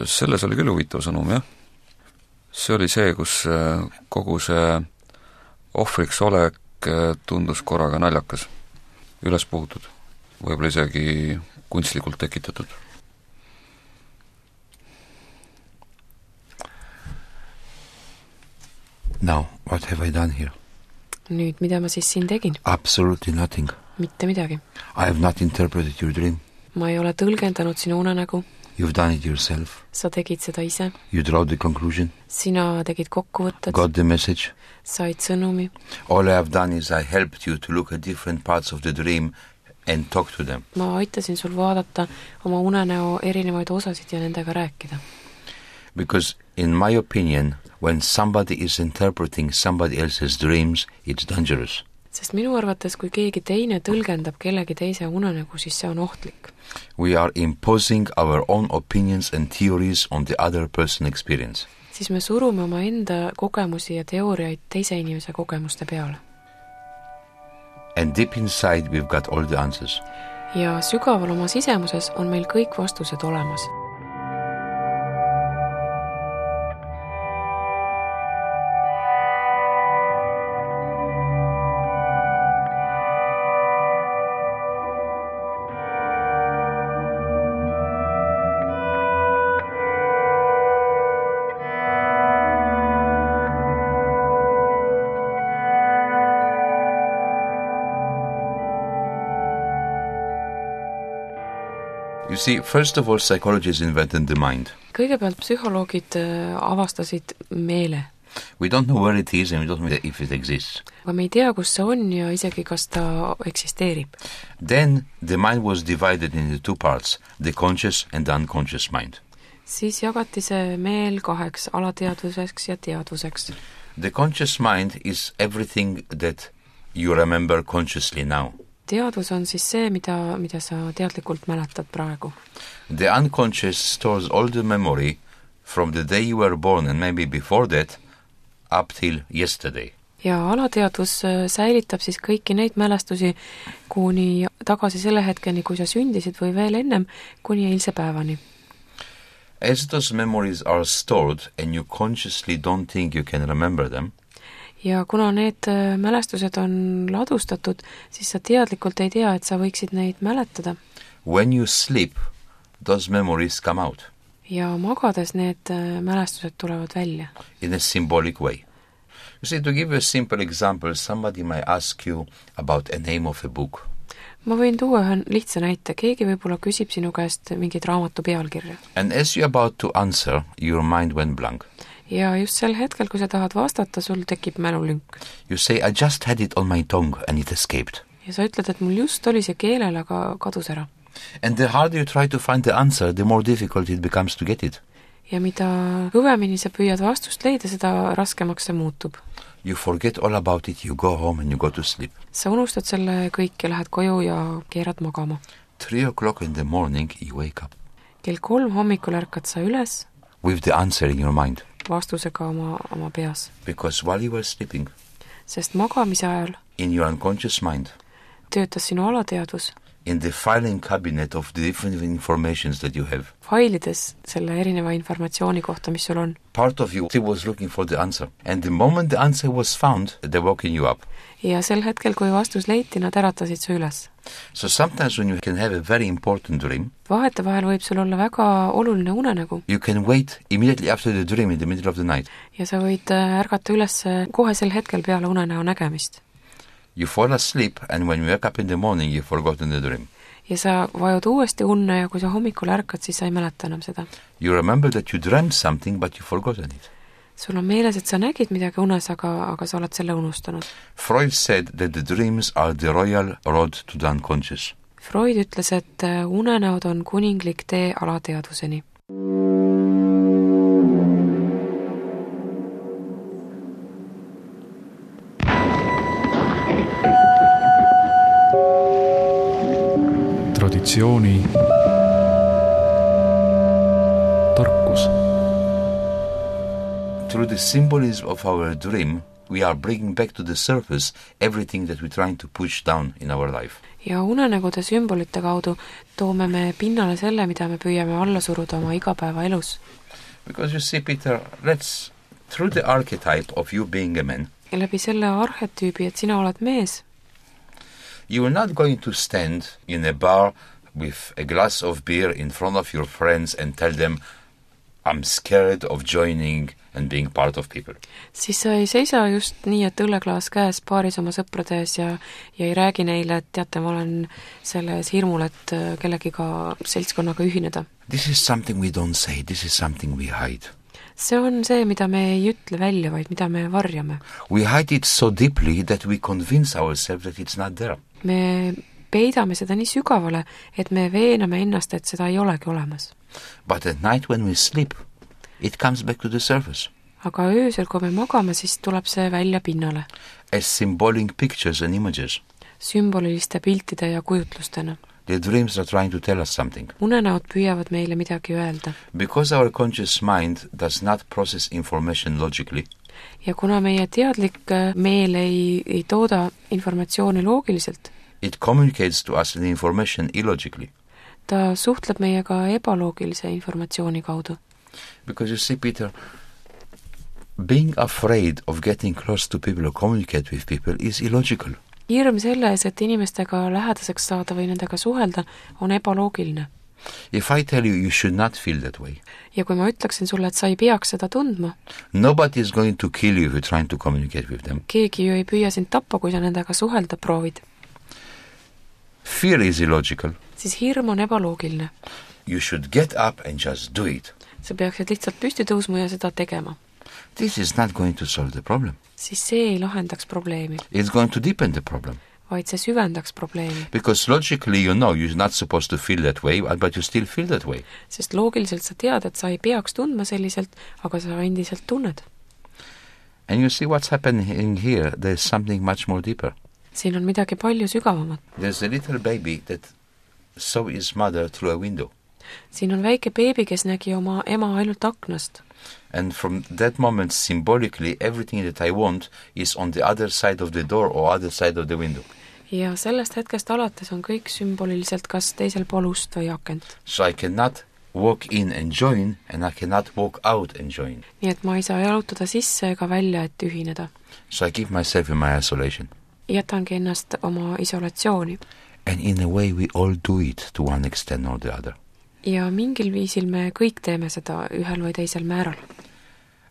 selles oli küll huvitav sõnum, jah. See oli see, kus kogu see ohvriks olek tundus korraga naljakas, üles puhutud, võib-olla isegi kunstlikult tekitatud. Now, what have I done here? Nüüd, mida ma siis siin tegin? Absolutely nothing. Mitte midagi. I have not interpreted your dream. Ma ei ole tõlgendanud sinu unenägu. You've done it yourself. Sa tegid seda ise. You draw the conclusion. Sina tegid kokkuvõtted. Got the message. Said sõnumi. All I have done is I helped you to look at different parts of the dream and talk to them. Ma aitasin sul vaadata oma unenäo erinevaid osasid ja nendega rääkida. Because in my opinion, when somebody is interpreting somebody else's dreams, it's dangerous. Sest minu arvates, kui keegi teine tõlgendab kellegi teise unenägu, siis see on ohtlik. We are imposing our own opinions and theories on the other person's experience. Siis me surume oma enda kogemusi ja teooriaid teise inimese kogemuste peale. And deep inside we've got all the answers. Ja sügaval oma sisemuses on meil kõik vastused olemas. You see, first of all, psychologists invented the mind. Kõigepealt psühholoogid avastasid meele. We don't know where it is and we don't know if it exists. Aga me ei tea, kus see on ja isegi kas ta eksisteerib. Then the mind was divided into two parts, the conscious and the unconscious mind. siis jagati see meel kaheks, alateadvuseks ja teadvuseks. The conscious mind is everything that you remember consciously now. Teadvus on siis see, mida sa teadlikult mäletad praegu. The unconscious stores all the memory from the day you were born and maybe before that up till yesterday. Ja alateadvus säilitab siis kõiki neid mälestusi kuni tagasi selle hetkeni, kui sa sündisid või veel ennem, kuni eilse päevani. As those memories are stored and you consciously don't think you can remember them, ja kuna need mälestused on ladustatud, siis sa teadlikult ei tea, et sa võiksid neid mäletada. when you sleep, those memories come out Ja magades need mälestused tulevad välja. in a symbolic way. You see, to give you a simple example, somebody might ask you about a name of a book. Ma võin tuua ühe lihtsa näite. Keegi võib-olla küsib sinu käest mingit raamatu pealkirja. And as you're about to answer, your mind went blank. Ja just sel hetkel, kui sa tahad vastata, sul tekib mälulünk. You say, I just had it on my tongue and it escaped. Ja sa ütled, et mul just oli see keelel, aga kadus ära. And the harder you try to find the answer, the more difficult it becomes to get it. Ja mida kõvemini sa püüad vastust leida, seda raskemaks see muutub. You forget all about it, you go home and you go to sleep. Sa unustad selle kõik ja lähed koju ja keerad magama. 3 o'clock in the morning, you wake up. Kell 3 hommikul ärkad sa üles With the answer in your mind. vastusega oma peas. Because while you were sleeping, Sest magamise ajal in your unconscious mind, töötas sinu alateadvus in the filing cabinet of the different informations that you have, failides selle erineva informatsiooni kohta, mis sul on. part of you still was looking for the answer. And the moment the answer was found, they woke you up. Ja sel hetkel, kui vastus leiti, nad äratasid su üles. So sometimes when you can have a very important dream, Vahetevahel võib sul olla väga oluline unenägu you can wait immediately after the dream in the middle of the night. ja sa võid ärgata üles kohe sel hetkel peale unenäo nägemist. You fall asleep and when you wake up in the morning, you've forgotten the dream. Ja sa vajud uuesti unne ja kui sa hommikul ärkad, siis sa ei mäleta enam seda. You remember that you dreamt something, but you've forgotten it. Sul on meeles, et sa nägid midagi unes, aga sa oled selle unustanud. Freud said that the dreams are the royal road to the unconscious. Freud ütles, et unenäod on kuninglik tee alateadvuseni. Traditsiooni tarkus. Through the symbolism of our dream, we are bringing back to the surface everything that we're trying to push down in our life. Ja unenägude sümbolite kaudu toome me pinnale selle, mida me püüame alla suruda oma igapäeva elus. Because you see, Peter, through the archetype of you being a man, Ja läbi selle arhetüübi, et sina oled mees, you are not going to stand in a bar with a glass of beer in front of your friends and tell them, I'm scared of joining and being part of people. siis sa ei seisa just nii, et õlleklaas käes baaris oma sõprade ees ja ei räägi neile, et teate, ma olen selles hirmul, et kellegiga seltskonnaga ühineda. This is something we don't say, this is something we hide. See on see, mida me ei ütle välja, vaid mida me varjame. We hide it so deeply that we convince ourselves that it's not there. Me peidame seda nii sügavale, et me veename ennast, et seda ei olegi olemas. But at night when we sleep, it comes back to the surface. Aga öösel, kui me magame, siis tuleb see välja pinnale. As symbolic pictures and images. Sümboliliste piltide ja kujutlustena. The dreams are trying to tell us something. Unenäod püüavad meile midagi öelda. Because our conscious mind does not process information logically, Ja kuna meie teadlik meel ei tooda informatsiooni loogiliselt, it communicates to us the information illogically. ta suhtleb meiega ebaloogilise informatsiooni kaudu. Because you see, Peter, being afraid of getting close to people or communicate with people is illogical. Hirm selles, et inimestega lähedaseks saada või nendega suhelda, on ebaloogiline. If I tell you should not feel that way, Ja kui ma ütleksin sulle, et sa ei peaks seda tundma, nobody is going to kill you if you're trying to communicate with them. keegi ju ei püüa sind tappa, kui sa nendega suhelda proovid, Fear is illogical. siis hirm on ebaloogiline. You should get up and just do it. Sa peaksid lihtsalt püsti tõusma ja seda tegema. This is not going to solve the problem. Siis see ei lahendaks probleemi, It's going to deepen the problem. vaid see süvendaks probleemi. Because logically you know you're not supposed to feel that way, but you still feel that way. Sest loogiliselt sa tead, et sa ei peaks tundma selliselt, aga sa endiselt tunned. And you see what's happening here, there's something much more deeper. Siin on midagi palju sügavamat. There's a little baby that saw his mother through a window. Siin on väike beebi, kes nägi oma ema ainult aknast. And from that moment, symbolically, everything that I want is on the other side of the door or other side of the window. Ja sellest hetkest alates on kõik sümboliliselt kas teisel pool ust või akent. So I cannot walk in and join, and I cannot walk out and join. Nii et ma ei saa jalutada sisse ega välja, et ühineda. So I keep myself in my isolation. Jätangi ennast oma isolatsiooni. And in a way we all do it to one extent or the other. Ja mingil viisil me kõik teeme seda ühel või teisel määral.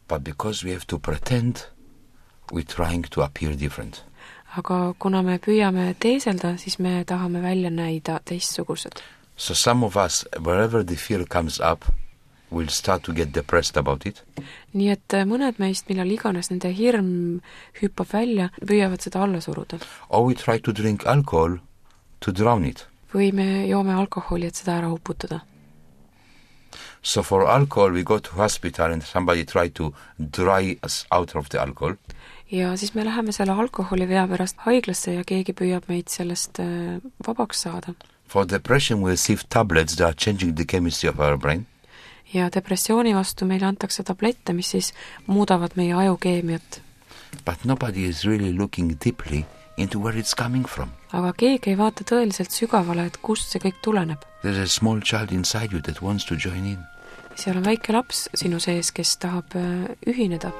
But because we have to pretend, we're trying to appear different. Aga kuna me püüame teeselda, siis me tahame välja näida teistsugused. So some of us, wherever the fear comes up, will start to get depressed about it. Nii et mõned meist, millal iganes nende hirm hüppab välja, püüavad seda alla suruda. Or we try to drink alcohol to drown it. Või me joome alkoholi, et seda ära uputada. So for alcohol we go to hospital and somebody try to dry us out of the alcohol. Ja siis me läheme selle alkoholivea pärast haiglasse ja keegi püüab meid sellest vabaks saada. For depression we receive tablets that are changing the chemistry of our brain. Ja depressiooni vastu meile antakse tablette, mis siis muudavad meie ajukeemiat. But nobody is really looking deeply into where it's coming from. Aga keegi ei vaata tõeliselt sügavale, et kust see kõik tuleneb. There's a small child inside you that wants to join in. Seal on väike laps sinu sees, kes tahab ühineda.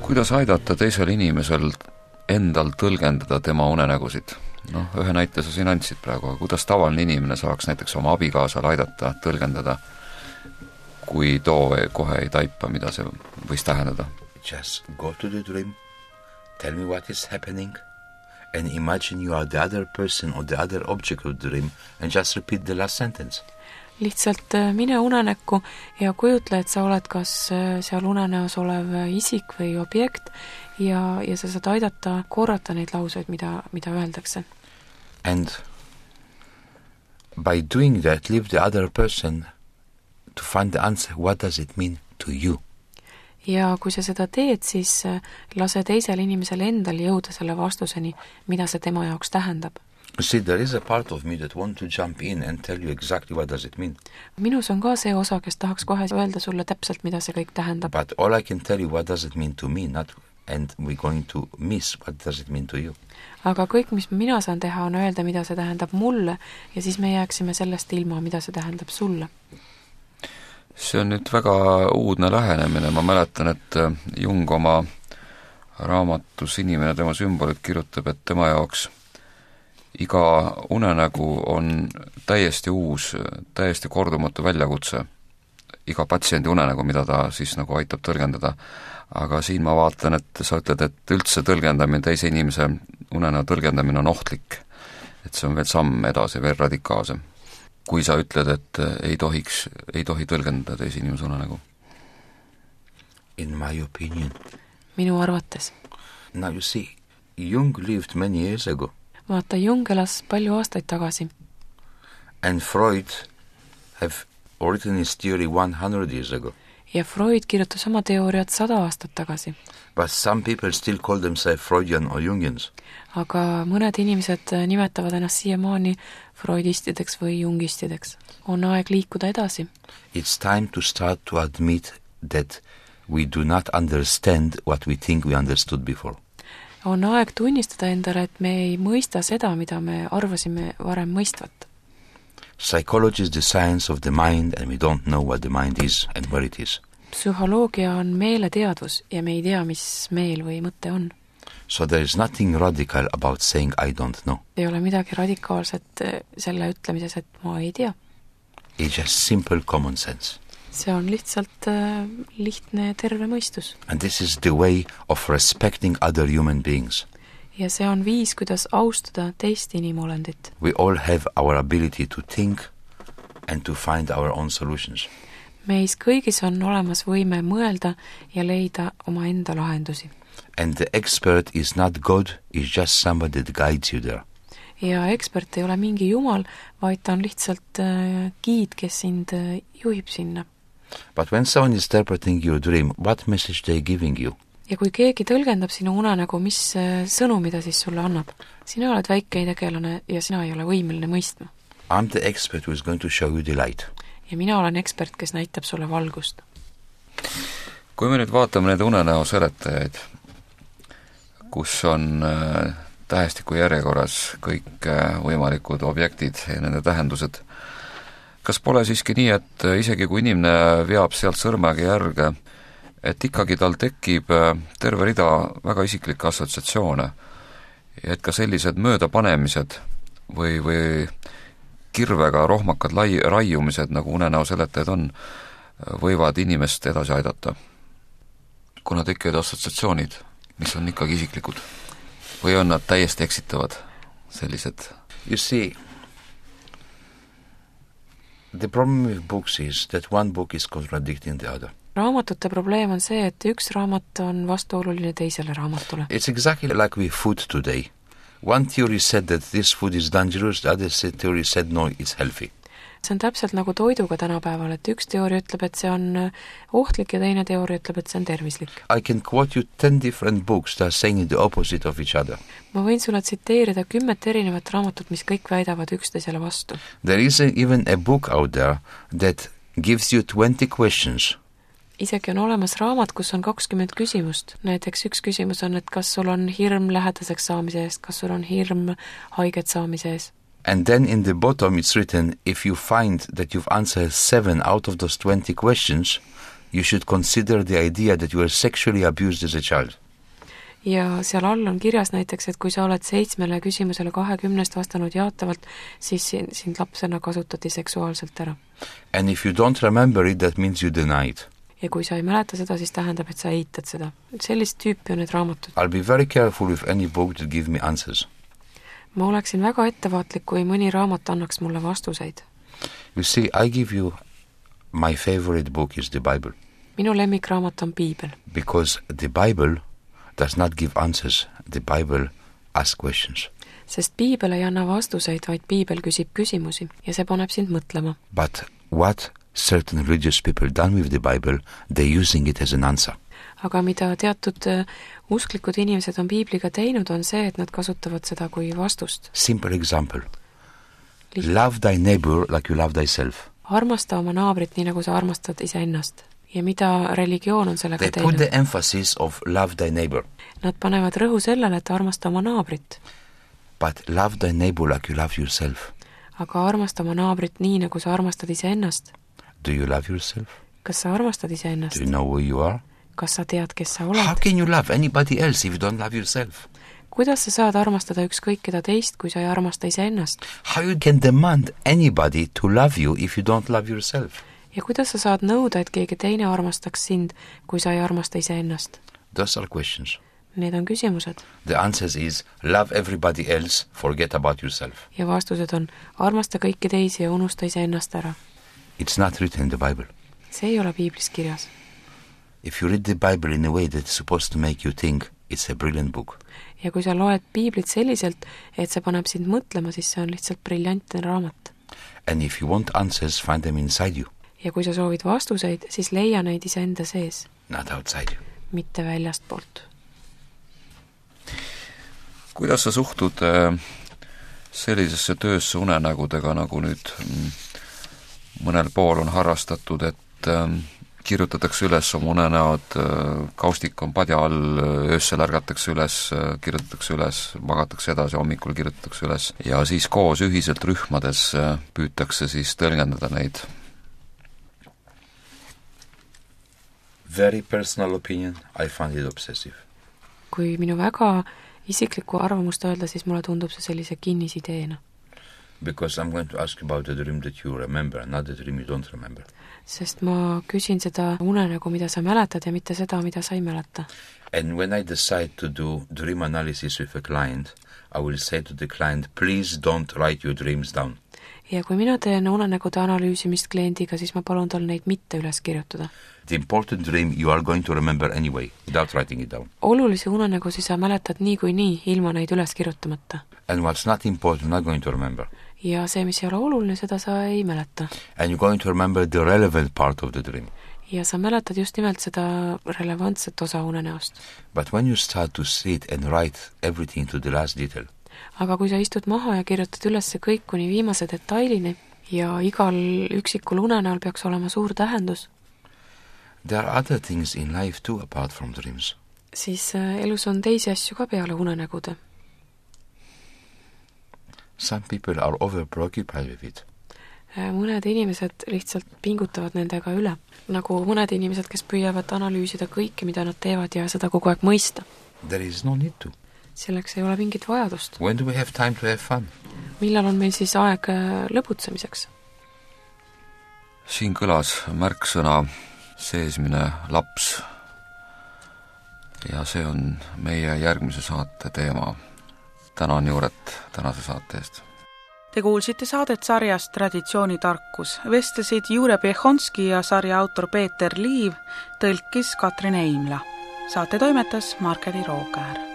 Kuidas aidata teisel inimesel endal tõlgendada tema unenägusid? Ühe näite sa siin andsid praegu, kuidas tavaline inimene saaks näiteks oma abikaasal aidata tõlgendada, kui too kohe ei taipa, mida see võis tähendada? Just go to the dream, tell me what is happening, and imagine you are the other person or the other object of the dream and just repeat the last sentence. Lihtsalt mine unenäkku ja kujutle, et sa oled kas seal unenäos olev isik või objekt ja sa saad aidata korrata neid lauseid, mida öeldakse. And by doing that, leave the other person to find the answer, what does it mean to you? Ja kui sa seda teed, siis lase teisel inimesel endal jõuda selle vastuseni, mida see tema jaoks tähendab. You see, there is a part of me that want to jump in and tell you exactly what does it mean. Minus on ka see osa, kes tahaks kohe öelda sulle täpselt, mida see kõik tähendab. But all I can tell you what does it mean to me, not, and we're going to miss what does it mean to you. Aga kõik, mis mina saan teha, on öelda, mida see tähendab mulle ja siis me jääksime sellest ilma, mida see tähendab sulle. See on nüüd väga uudne lähenemine. Ma mäletan, et Jung oma raamatus Inimene tema sümbolid kirjutab, et tema jaoks iga unenägu on täiesti uus, täiesti kordumatu väljakutse. Iga patsiendi unenägu, mida ta siis nagu aitab tõlgendada. Aga siin ma vaatan, et sa ütled, et üldse tõlgendamine, teise inimese unenäo tõlgendamine on ohtlik. Et see on veel samm edasi, veel radikaalsem. Kui sa ütled, et ei tohi tõlgendada teise inimese unenägu. In my opinion. Minu arvates. Now you see, Jung lived many years ago. Vaata, Jung elas palju aastaid tagasi. And Freud have written his theory 100 years ago. Ja Freud kirjutas oma teooriat 100 aastat tagasi. But some people still call themselves Freudian or Jungians. Aga mõned inimesed nimetavad ennast siiamaani freudistideks või jungistideks. On aeg liikuda edasi. It's time to start to admit that we do not understand what we think we understood before. On aeg tunnistada endale, et me ei mõista seda, mida me arvasime varem mõistvat. Psychology is the science of the mind and we don't know what the mind is and where it is. Psühholoogia on meeleteadvus ja me ei tea, mis meel või mõte on. So there is nothing radical about saying I don't know. Ei ole midagi radikaalset selle ütlemises, et ma ei tea. It's just simple common sense. see on lihtsalt lihtne ja terve mõistus. And this is the way of respecting other human beings. Ja see on viis, kuidas austada teist inimolendit. We all have our ability to think and to find our own solutions. Meis kõigis on olemas võime mõelda ja leida oma enda lahendusi. And the expert is not God, is just somebody that guides you there. Ja ekspert ei ole mingi jumal, vaid ta on lihtsalt giid, kes sind juhib sinna. But when someone is interpreting your dream, what message they giving you? Ja kui keegi tõlgendab sinu unenägu, mis sõnumi ta siis sulle annab? Sina oled väike tegelane ja sina ei ole võimeline mõistma. I'm the expert who is going to show you the light. Ja mina olen ekspert, kes näitab sulle valgust. Kui me nüüd vaatame need unenäo seletajaid, kus on tähestiku järjekorras kõik võimalikud objektid ja nende tähendused, kas pole siiski nii, et isegi kui inimene veab sealt sõrmega järge, et ikkagi tal tekib terve rida väga isiklikke assotsiatsioone ja et ka sellised möödapanemised või kirvega rohmakad raiumised, nagu unenäo seletajad on, võivad inimest edasi aidata, kuna tekivad assotsiatsioonid, mis on ikkagi isiklikud, või on nad täiesti eksitavad sellised? You see, the problem with books is that one book is contradicting the other. Raamatute probleem on see, et üks raamat on vastuoluline teisele raamatule. It's exactly like with food today. One theory said that this food is dangerous, the other theory said no, it's healthy. See on täpselt nagu toiduga tänapäeval, et üks teooria ütleb, et see on ohtlik ja teine teooria ütleb, et see on tervislik. I can quote you 10 different books that are saying the opposite of each other. Ma võin sulle tsiteerida 10 erinevat raamatut, mis kõik väidavad üksteisele vastu. There is even a book out there that gives you 20 questions. Isegi on olemas raamat, kus on 20 küsimust. Näiteks üks küsimus on, et kas sul on hirm lähedaseks saamise eest, kas sul on hirm haiget saamise eest. And then in the bottom it's written, if you find that you've answered 7 out of those 20 questions, you should consider the idea that you were sexually abused as a child. Ja seal all on kirjas näiteks, et kui sa oled 7 küsimusele 20 vastanud jaatavalt, siis sind lapsena kasutati seksuaalselt ära. And if you don't remember it, that means you deny it. Ja kui sa ei mäleta seda, siis tähendab, et sa eitad seda. Sellist tüüpi on need raamatud. I'll be very careful with any book that give me answers. Ma oleksin väga ettevaatlik, kui mõni raamat annaks mulle vastuseid. You see, I give you my favorite book is the Bible. Minu lemmikraamat on Piibel. Because the Bible does not give answers, the Bible asks questions. Sest Piibel ei anna vastuseid, vaid Piibel küsib küsimusi ja see paneb sind mõtlema. But what certain religious people done with the Bible, they're using it as an answer. Aga mida teatud usklikud inimesed on Piibliga teinud, on see, et nad kasutavad seda kui vastust. Simple example. Love thy neighbor like you love thyself. Armasta oma naabrit nii, nagu sa armastad iseennast. Ja mida religioon on sellega teinud? They put the emphasis of love thy neighbor. Nad panevad rõhu sellele, et armasta oma naabrit. But love thy neighbor like you love yourself. Aga armasta oma naabrit nii, nagu sa armastad iseennast. Do you love yourself? Kas sa armastad iseennast? Do you know who you are? Kas sa tead, kes sa oled? How can you love anybody else if you don't love yourself? Kuidas sa saad armastada ükskõik keda teist, kui sa ei armasta iseennast? How you can demand anybody to love you if you don't love yourself? Ja kuidas sa saad nõuda, et keegi teine armastaks sind, kui sa ei armasta iseennast? Those are questions. Need on küsimused. The answer is love everybody else, forget about yourself. Ja vastused on armasta kõiki teisi ja unusta iseennast ära. It's not written in the Bible. See ei ole Piiblis kirjas. If you read the Bible in a way that's supposed to make you think, it's a brilliant book. Ja kui sa loed Piiblit selliselt, et see paneb sind mõtlema, siis see on lihtsalt briljantne raamat. And if you want answers, find them inside you. Ja kui sa soovid vastuseid, siis leia neid iseenda sees. Not outside you. Mitte väljast poolt. Kuidas sa suhtud sellisesse töösse unenägudega, nagu nüüd mõnel pool on harrastatud, et kirjutatakse üles oma unenäod, kaustik on padja all, öössel ärgatakse üles, kirjutatakse üles, magatakse edasi, hommikul kirjutatakse üles ja siis koos ühiselt rühmades püütakse siis tõlgendada neid. Very personal opinion, I find it obsessive. Kui minu väga isiklikku arvamust öelda, siis mulle tundub see sellise kinnisideena. Because I'm going to ask about the dream that you remember, not the dream you don't remember. Sest ma küsin seda unenägu, mida sa mäletad ja mitte seda, mida sa ei mäleta. And when I decide to do dream analysis with a client, I will say to the client, please don't write your dreams down. Ja kui mina teen unenägude analüüsimist kliendiga, siis ma palun tal neid mitte üles kirjutada. The important dream you are going to remember anyway, without writing it down. Olulisi unenägusid sa mäletad nii, ilma neid üles kirjutamata. And what's not important, not going to remember. Ja see, mis ei ole oluline, seda sa ei mäleta. And you're going to remember the relevant part of the dream. Ja sa mäletad just nimelt seda relevantset osa unenäost. But when you start to sit and write everything to the last detail, aga kui sa istud maha ja kirjutad üles kõik kuni viimase detailini ja igal üksikul unenäol peaks olema suur tähendus, there are other things in life too apart from dreams. Siis elus on teisi asju ka peale unenägude. Some people are over-preoccupied with it. Mõned inimesed lihtsalt pingutavad nendega üle. Nagu mõned inimesed, kes püüavad analüüsida kõike, mida nad teevad ja seda kogu aeg mõista. There is no need to. Selleks ei ole mingit vajadust. When do we have time to have fun? Millal on meil siis aeg lõbutsemiseks? Siin kõlas märksõna seesmine laps. Ja see on meie järgmise saate teema. Tänan Juuret tänase saate eest. Te kuulsite saadet sarjast Traditsioonitarkus. Vestlesid Jure Piechonski ja sarja autor Peeter Liiv, tõlkis Katrin Eimla. Saate toimetas Markeli Rookäär.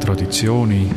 Traditsiooni